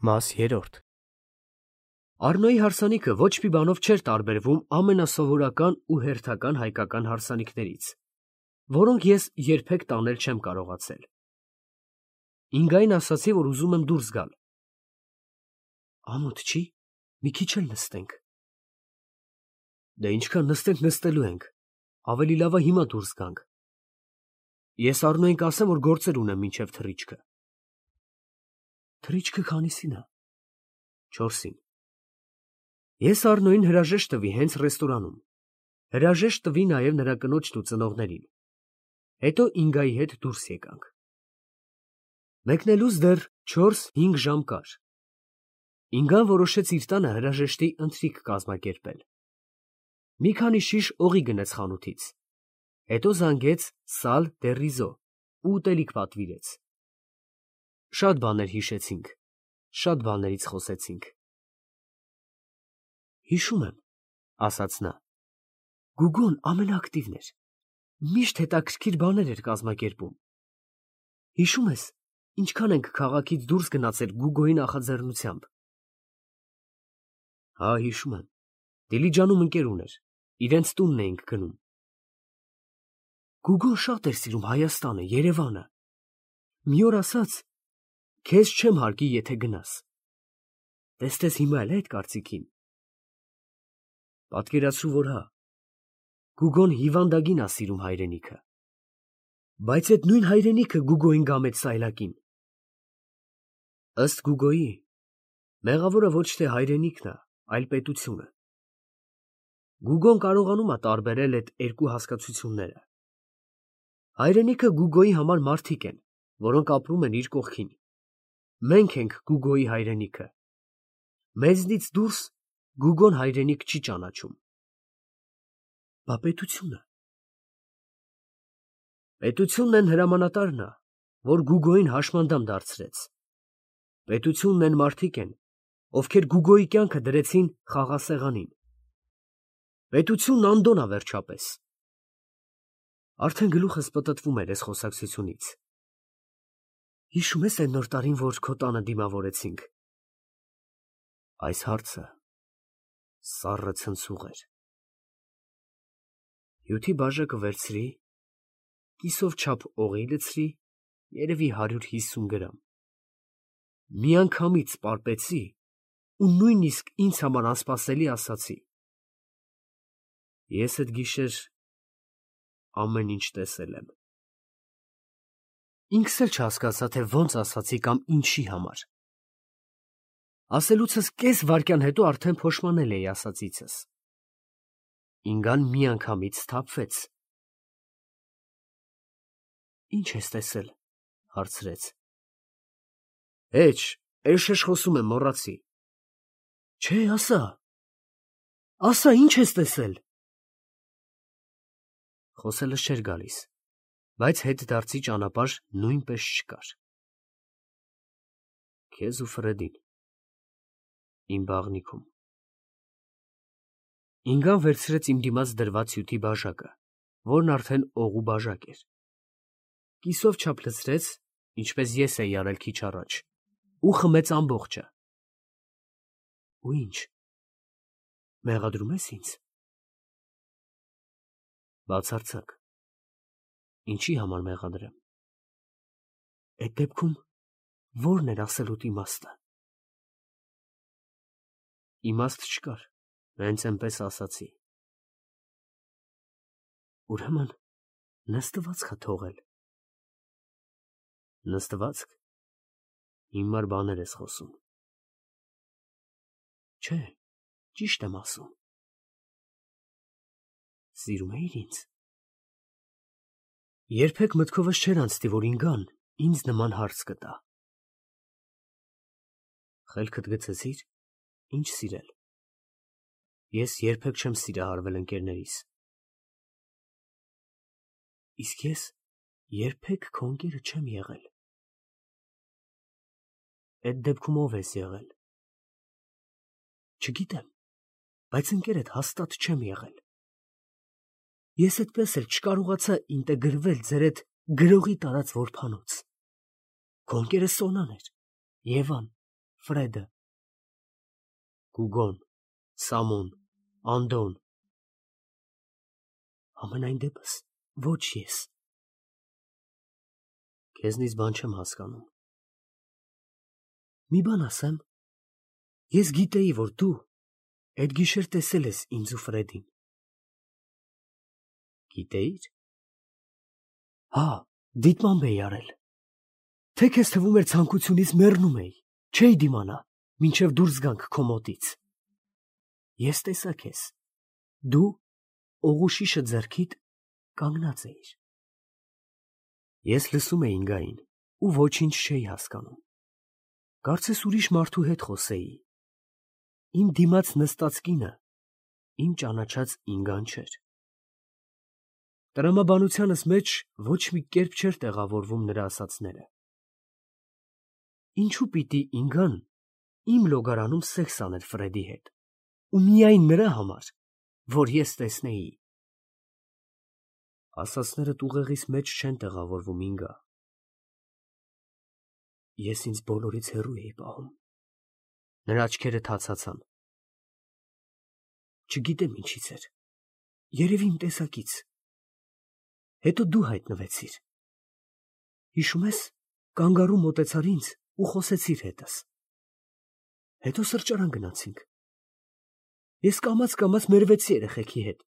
Մաս 3 Առնոյի հարսանիքը ոչ մի բանով չէր տարբերվում ամենասովորական ու հերթական հայկական հարսանիքներից, որոնք ես երբեք տանել չեմ կարողացել։ Ինգային ասացի, որ ուզում եմ դուրս գալ։ Ամոթ չի, մի քիչ էլ նստենք։ Դե ինչքան նստենք նստելու ենք, ավելի լավ է հիմա դուրս գանք։ Ես Առնոյին կասեմ, որ գործեր ունեմ մինչև թռիչքը։ Թռիչքը քանիսին է։ 4-ին։ Ես Առնոյին հրաժեշտ տվի հենց ռեստորանում։ Հրաժեշտ տվի նաև նրա կնոջն ու ծնողներին։ Հետո Ինգայի հետ դուրս եկանք։ Մեկնելուց դեռ 4-5 ժամ կար։ Ինգան որոշեց իր տանը հրաժեշտի ընթրիք կազմակերպել։ Մի քանի շիշ օղի գնեց խանութից։ Հետո զանգեց Սալ դե Ռիզո ու ուտելիք պատվիրեց։ Շատ բաներ հիշեցինք, շատ բաներից խոսեցինք։ Հիշում եմ, ասաց նա, Գուգոն ամենաակտիվն էր, միշտ հետաքրքիր բաներ էր կազմակերպում։ Հիշում ես, ինչքան ենք քաղաքից դուրս գնացել Գուգոյի նախաձեռնությամբ։ Հա, հիշում եմ, Դիլիջանում ընկեր ուներ, իրենց տունն էինք գնում։ Գուգոն շատ էր սիրում Հայաստանը, Երևանը։ Մի օր ասաց, քեզ չեմ հարգի, եթե գնաս։ Տեսնես հիմա էլ այդ կարծիքին։ Պատկերացրու, որ հա, Գուգոն հիվանդագին է սիրում հայրենիքը։ Բայց այդ նույն հայրենիքը Գուգոյին գամեց սայլակին։ Ըստ Գուգոյի, մեղավորը ոչ թե հայրենիքն է, այլ պետությունը։ Գուգոն կարողանում է տարբերել այդ երկու հասկացությունները։ Հայրենիքը Գուգոյի համար մարդիկ են, որոնք ապրում են իր կողքին։ Մենք ենք Գուգոյի հայրենիքը։ Մեզնից դուրս Գուգոն հայրենիք չի ճանաչում։ Բա պետությունը։ Պետությունն են հրամանատարն է, որ Գուգոյին հաշմանդամ դարձրեց։ Պետությունն են մարդիկ են, ովքեր Գուգոյի կյանքը դրեցին խաղասեղանին։ Պետությունն Անդոն է վերջապես։ Արդեն գլուխս պտտվում էր այս խոսակցությունից։ Հիշում ես այն նոր տարին, որ քո տանը դիմավորեցինք։ Այս հարցը սառը ցնցուղ էր։ Հյութի բաժակը վերցրի, կիսով չափ օղի լցրի, երևի 150 գրամ։ Միանգամից պարպեցի ու նույնիսկ ինձ համար անսպասելի ասացի. Ես այդ գիշեր ամեն ինչ տեսել եմ։ Ինքս էլ չհասկացա, թե ոնց ասացի կամ ինչի համար։ Ասելուցս կես վայրկյան հետո արդեն փոշմանել էի ասածիցս։ Ինգան միանգամից սթափվեց։ Ինչ ես տեսել, հարցրեց։ Էջ, էշ խոսում եմ, մոռացի։ Չէ, ասա։ Ասա, ինչ ես տեսել։ Խոսելս չէր գալիս, բայց հետդարձի ճանապարհ նույնպես չկար։ Քեզ ու Ֆրեդին, իմ բաղնիքում։ Ինգան վերցրեց իմ դիմաց դրված հյութի բաժակը, որն արդեն օղու բաժակ էր։ Կիսով չափ լցրեց, ինչպես ես էի արել քիչ առաջ, ու խմեց ամբողջը։ Ու ինչ, մեղադրում ես ինձ։ Բացարձակ, ինչի համար մեղադրեմ։ Այդ դեպքում ո՞րն էր ասելուտ իմաստը։ Իմաստ չկար, հենց այնպես ասացի։ Ուրեմն նստվածք է թողել։ Նստվածք, հիմար բաներ ես խոսում։ Չէ, ճիշտ եմ ասում։ Սիրում էիր ինձ։ Երբեք մտքովս չէր անցնի, որ Ինգան ինձ նման հարց կտա։ Խելքդ գցեցի՞ր, ինչ սիրել։ Ես երբեք չեմ սիրահարվել ընկերներիս։ Իսկ ես երբեք քո ընկերը չեմ եղել։ Այդ դեպքում ով ես եղել։ Չգիտեմ, բայց ընկերդ հաստատ չեմ եղել։ Ես այդպես էլ չկարողացա ինտեգրվել ձեր այդ գրողի տարած որբանոց։ Քո ընկերը Սոնան էր, Եվան, Ֆրեդը։ Գուգոն, Սամոն, Անդոն։ Ամենայն դեպս ոչ ես։ Քեզնից բան չեմ հասկանում։ Մի բան ասեմ, ես գիտեի, որ դու այդ գիշեր տեսել ես ինձ ու Ֆրեդին։ Գիտեիր։ Հա, դիտմամբ էի արել։ Թե քեզ թվում էր ցանկությունից մեռնում էի, չէի դիմանա, մինչև դուրս գանք քո մոտից։ Ես տեսա քեզ։ Դու օղուշիշը ձեռքիդ կանգնած էիր։ Ես լսում էի Ինգային ու ոչինչ չէի հասկանում։ Կարծես ուրիշ մարդու հետ խոսեի։ Իմ դիմաց նստած կինը իմ ճանաչած Ինգան չէր։ Տրամաբանությանս մեջ ոչ մի կերպ չէր տեղավորվում նրա ասածները։ Ինչու պիտի Ինգան իմ լոգարանում սեքս աներ Ֆրեդի հետ, ու միայն նրա համար, որ ես տեսնեի։ Ասածներդ ուղեղիս մեջ չեն տեղավորվում, Ինգա։ Ես ինձ բոլորից հեռու էի պահում։ Նրա աչքերը թացացան։ Չգիտեմ ինչից էր։ Երևի իմ տեսակից։ Հետո դու հայտնվեցիր։ Հիշում ես, կանգառու մոտեցար ինձ ու խոսեցիր հետս։ Հետո սրճարան գնացինք։ Ես կամաց մերվեցի երեխեքի հետ։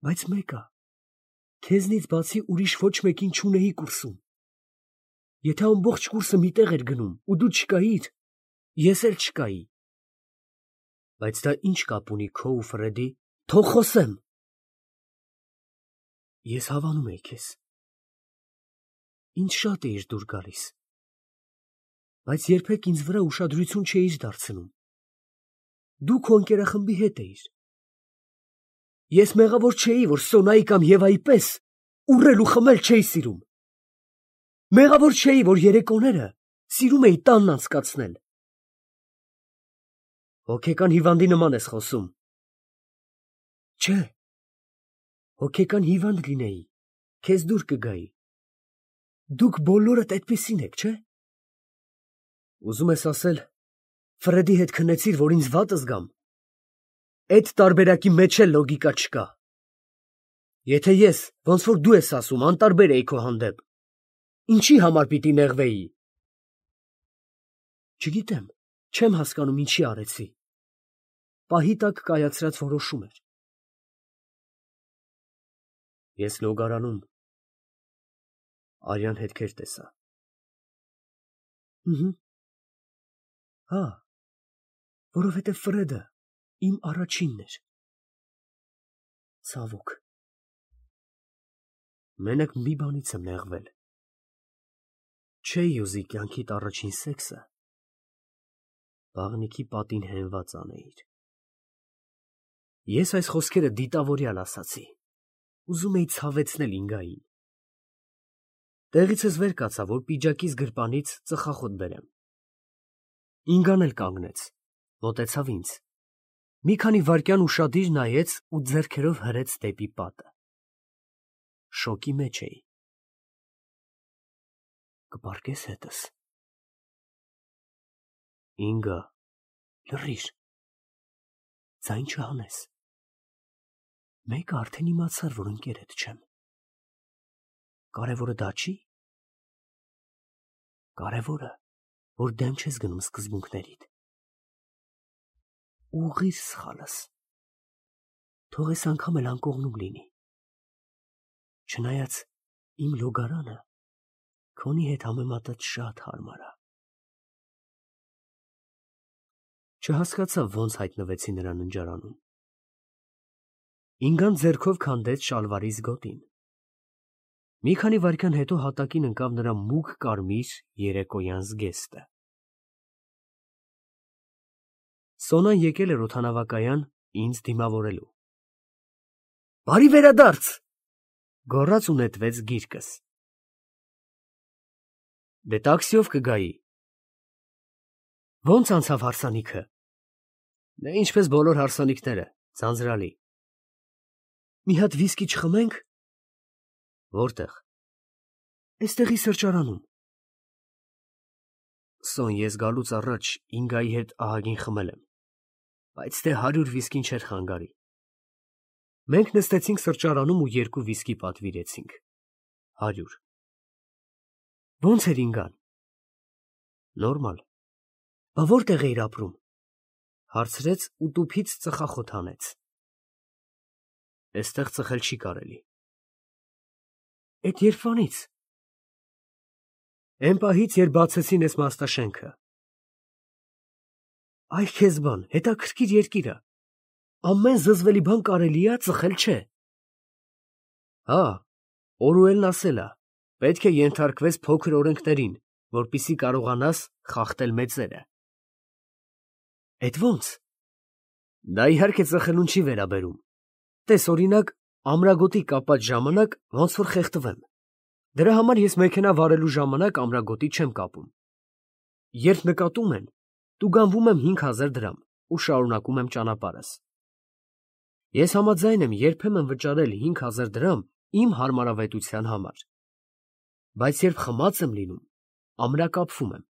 Բայց մեկը, քեզնից բացի ուրիշ ոչ մեկին չունեի կուրսում։ Եթե ամբողջ կուրսը մի տեղ էր գնում ու դու չկայիր, ես էլ չկայի։ Բայց դա ինչ կապ ունի քո ու Ֆրեդի։ Թող խոսեմ։ Ես հավանում էի քեզ։ Ինձ շատ էիր դուր գալիս։ Բայց երբեք ինձ վրա ուշադրություն չէիր դարձնում։ Դու քո ընկերախմբի հետ էիր։ Ես մեղավոր չէի, որ Սոնայի կամ Եվայի պես ուռել ու խմել չէի սիրում։ Մեղավոր չէի, որ երեկոները սիրում էի տանն անցկացնել։ Հոգեկան հիվանդի նման ես խոսում։ Չէ։ Հոգեկան հիվանդ լինեի, քեզ դուր կգայի։ Դուք բոլորդ այդպիսին եք, չէ։ Ուզում ես ասել, Ֆրեդի հետ քնեցիր, որ ինձ վատ զգամ։ Այդ տարբերակի մեջ էլ լոգիկա չկա։ Եթե ես, ոնց որ դու ես ասում, անտարբեր էի քո հանդեպ, ինչի համար պիտի նեղվեի։ Չգիտեմ, չեմ հասկանում ինչի արեցի։ Պահի տակ կայացրած որոշում էր։ Ես լոգարանում արյան հետքեր տեսա։ Հա, որովհետև Ֆրեդը իմ առաջինն էր։ Ցավոք։ Մենակ մի բանից եմ նեղվել։ Չէի ուզի կյանքիդ առաջին սեքսը բաղնիքի պատին հենված անեիր։ Ես այս խոսքերը դիտավորյալ ասացի։ Ուզում էի ցավեցնել Ինգային։ Տեղիցս վեր կացա, որ պիջակիս գրպանից ծխախոտ բերեմ։ Ինգան էլ կանգնեց, մոտեցավ ինձ։ Մի քանի վայրկյան ուշադիր նայեց ու ձեռքերով հրեց դեպի պատը։ Շոկի մեջ էի։ Կպարկես հետս։ Ինգա, լռիր։ Ձայն չհանես։ Մեկը արդեն իմացար, որ ընկերդ չեմ։ Կարևորը դա չի։ Կարևորը, որ դեմ չես գնում սկզբունքներիդ։ Ուղղիր սխալս։ Թող այս անգամ էլ անկողնում լինի։ Չնայած իմ լոգարանը քոնի հետ համեմատած շատ հարմար է։ Չհասկացա ոնց հայտնվեցի նրա ննջարանում։ Ինգան ձեռքով քանդեց շալվարիս գոտին։ Մի քանի վայրկյան հետո հատակին ընկավ նրա մուգ կարմիր երեկոյան զգեստը։ Սոնան եկել էր օդանավակայան ինձ դիմավորելու։ Բարի վերադարձ, գոռաց ու նետվեց գիրկս։ Դե տաքսիով կգայի։ Ոնց անցավ հարսանիքը։ Դե ինչպես բոլոր հարսանիքները, ձանձրալի։ Մի հատ վիսկի չխմենք։ Որտեղ։ Էստեղի սրճարանում։ Սոն, ես գալուց առաջ Ինգայի հետ ահագին խմել եմ, բայց թե 100 վիսկին չէր խանգարի։ Մենք նստեցինք սրճարանում ու 2 վիսկի պատվիրեցինք։ 100։ Ո՞նց էր Ինգան։ Նորմալ։ Բա որտեղ էիր ապրում։ Հարցրեց ու տուփից ծխախոտ հանեց։ Էստեղ ծխել չի կարելի։ Էդ երբանից։ Էն պահից, երբ բացեցին էս մաստաշենքը։ Այ քեզ բան, հետաքրքիր երկիր ա։ Ամեն զզվելի բան կարելի ա, ծխել չէ։ Հա, Օրուելն ասել ա, պետք է ենթարկվես փոքր օրենքներին, որպեսզի կարողանաս խախտել մեծերը։ Էդ ո՞նց։ Դա իհարկե ծխելուն չի վերաբերում։ Տես օրինակ, ամրագոտի կապած ժամանակ ոնց որ խեղդվեմ։ Դրա համար ես մեքենա վարելու ժամանակ ամրագոտի չեմ կապում։ Երբ նկատում են, տուգանվում եմ 5000 դրամ ու շարունակում եմ ճանապարհս։ Ես համաձայն եմ երբեմն վճարել 5000 դրամ իմ հարմարավետության համար։ Բայց երբ խմած եմ լինում, ամրակապվում եմ,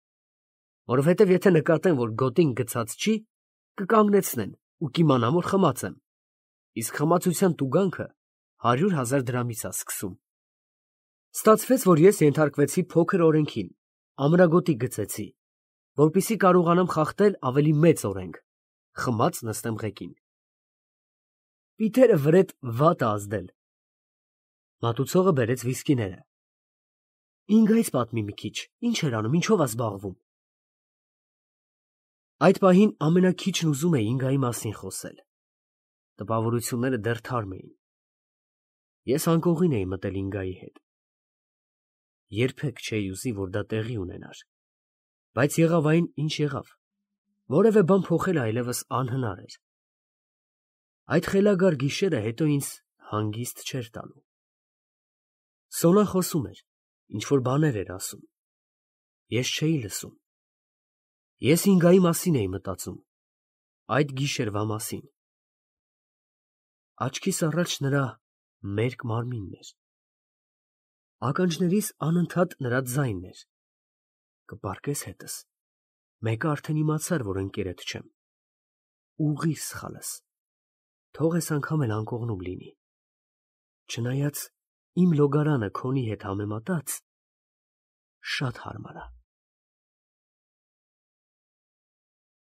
որովհետև եթե նկատեն, որ գոտին գցած չի, կկանգնեցնեն ու կիմանամ, որ խմած եմ, իսկ խմացության տուգանքը 100,000 դրամից է սկսում։ Ստացվեց, որ ես ենթարկվեցի փոքր օրենքին, ամրագոտի գծեցի, որպեսզի կարողանամ խախտել ավելի մեծ օրենք, խմած նստեմ ղեկին։ Պիտերը վրետ վատ է ազդել։ Մատուցողը բերեց վիսկիները։ Ինգայից պատմի մի քիչ, ինչ էր անում, ինչով է զբաղվում։ Այդ պահին ամենաքիչն ուզում էի Ինգայի մասին խոսել։ Տպավորությունները դեռ թարմ էին։ Ես անկողին էի մտել Ինգայի հետ։ Երբեք չէի ուզի, որ դա տեղի ունենար, բայց եղավ այն, ինչ եղավ, որևէ բան փոխել այլևս անհնար էր։ Այդ խելագար գիշերը հետո ինձ հանգիստ չէր տալու։ Սոնան խոսում էր, ինչ-որ բաներ էր ասում։ Ես չէի լսում։ Ես Ինգայի մասին էի մտածում, այդ գիշերվա մասին։ Աչքիս առաջ նրա մերկ մարմինն էր։ Ականջներիս անընդհատ նրա ձայնն էր։ Կպառկես հետս։ Մեկը արդեն իմացար, որ ընկերդ չեմ։ Ուղղիր սխալս։ Թող այս անգամ էլ անկողնում լինի։ Չնայած իմ լոգարանը քոնի հետ համեմատած շատ հարմար է։